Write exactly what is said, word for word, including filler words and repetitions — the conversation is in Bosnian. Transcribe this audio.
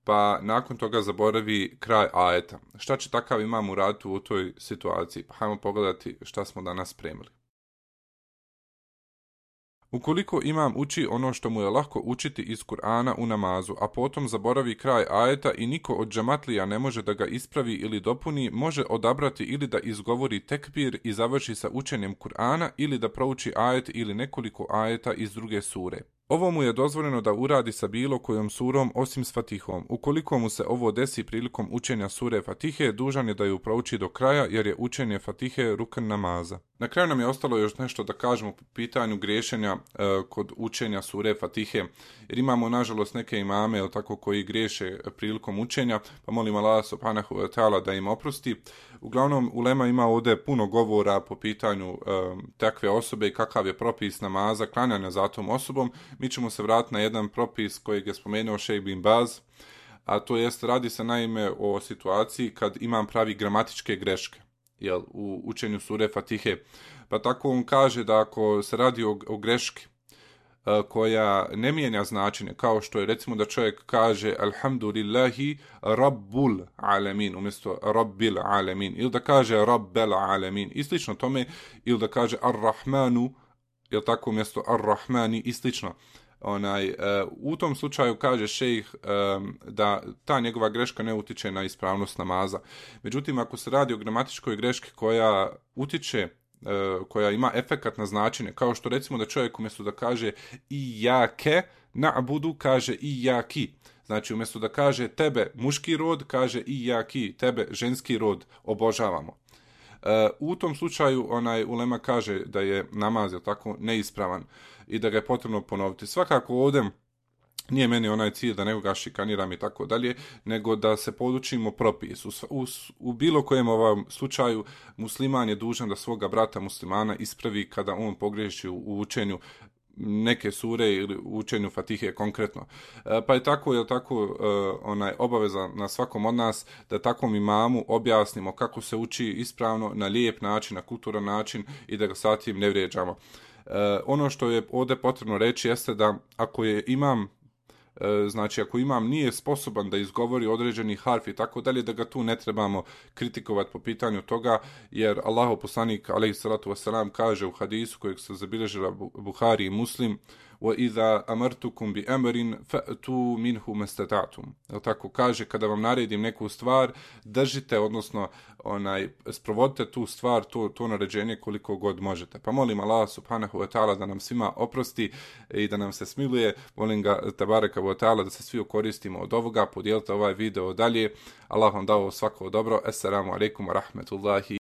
pa nakon toga zaboravi kraj ajeta. Šta će takav imam uraditi u toj situaciji? Pa hajmo pogledati šta smo danas spremili. Ukoliko imam uči ono što mu je lako učiti iz Kur'ana u namazu, a potom zaboravi kraj ajeta i niko od džamatlija ne može da ga ispravi ili dopuni, može odabrati ili da izgovori tekbir i završi sa učenjem Kur'ana ili da prouči ajet ili nekoliko ajeta iz druge sure. Ovo mu je dozvoljeno da uradi sa bilo kojom surom osim s Fatihom. Ukoliko mu se ovo desi prilikom učenja sure Fatihe, dužan je da ju prouči do kraja jer je učenje Fatihe rukn namaza. Na kraju nam je ostalo još nešto da kažemo po pitanju griješenja e, kod učenja sure Fatihe, jer imamo nažalost neke imame ili tako koji griješe prilikom učenja, pa molim Allah subhanahu wa ta'ala da im oprosti. Uglavnom, ulema ima ovdje puno govora po pitanju e, takve osobe i kakav je propis namaza, klanjanja za tom osobom. Mi ćemo se vratiti na jedan propis kojeg je spomenuo Šejh bin Baz, a to jest radi se naime o situaciji kad imam pravi gramatičke greške, jel, u učenju sure Fatihe. Pa tako on kaže da ako se radi o, o greški uh, koja ne mijenja značenje, kao što je recimo da čovjek kaže alhamdulillahi rabbul alamin umjesto rabbil alamin, ili da kaže rabbel alamin i slično tome, ili da kaže ar-rahmanu, jel tako, umjesto ar-rahmani i slično. Onaj, uh, u tom slučaju kaže šejh um, da ta njegova greška ne utiče na ispravnost namaza. Međutim, ako se radi o gramatičkoj greški koja utiče, uh, koja ima efekat na značenje, kao što recimo da čovjek umjesto da kaže ijake na'budu kaže ijaki. Znači umjesto da kaže tebe muški rod, kaže ijaki, tebe ženski rod obožavamo. Uh, u tom slučaju onaj ulema kaže da je namaz je tako neispravan i da ga je potrebno ponoviti. Svakako ovdje nije meni onaj cilj da nekoga šikaniram i tako dalje, nego da se podučimo propis. U, u, u bilo kojem ovom slučaju musliman je dužan da svoga brata muslimana ispravi kada on pogriješi u, u učenju neke sure ili u učenju Fatihe konkretno. E, pa je tako, je tako e, onaj obaveza na svakom od nas da takvom imamu objasnimo kako se uči ispravno, na lijep način, na kulturan način i da ga satim ne vrijeđamo. E, ono što je ovdje potrebno reći jeste da ako je imam znači ako imam nije sposoban da izgovori određeni harf i tako dalje, da ga tu ne trebamo kritikovati po pitanju toga, jer Allahov poslanik alejhi salatu vesselam kaže u hadisu kojeg se zabilježila Buhari i Muslim: wa idha amartukum bi amrin fa'tu minhu mastata'tum. Jel tako kaže, kada vam naredim neku stvar, držite, odnosno onaj sprovodite tu stvar, to to naređenje koliko god možete. Pa molim Allah subhanahu wa ta'ala da nam svima oprosti i da nam se smiluje. Molim ga tebareka wa ta'ala da se svi koristimo od ovoga. Podijelite ovaj video dalje. Allah vam dao svako dobro. Assalamu alaikum wa rahmetullahi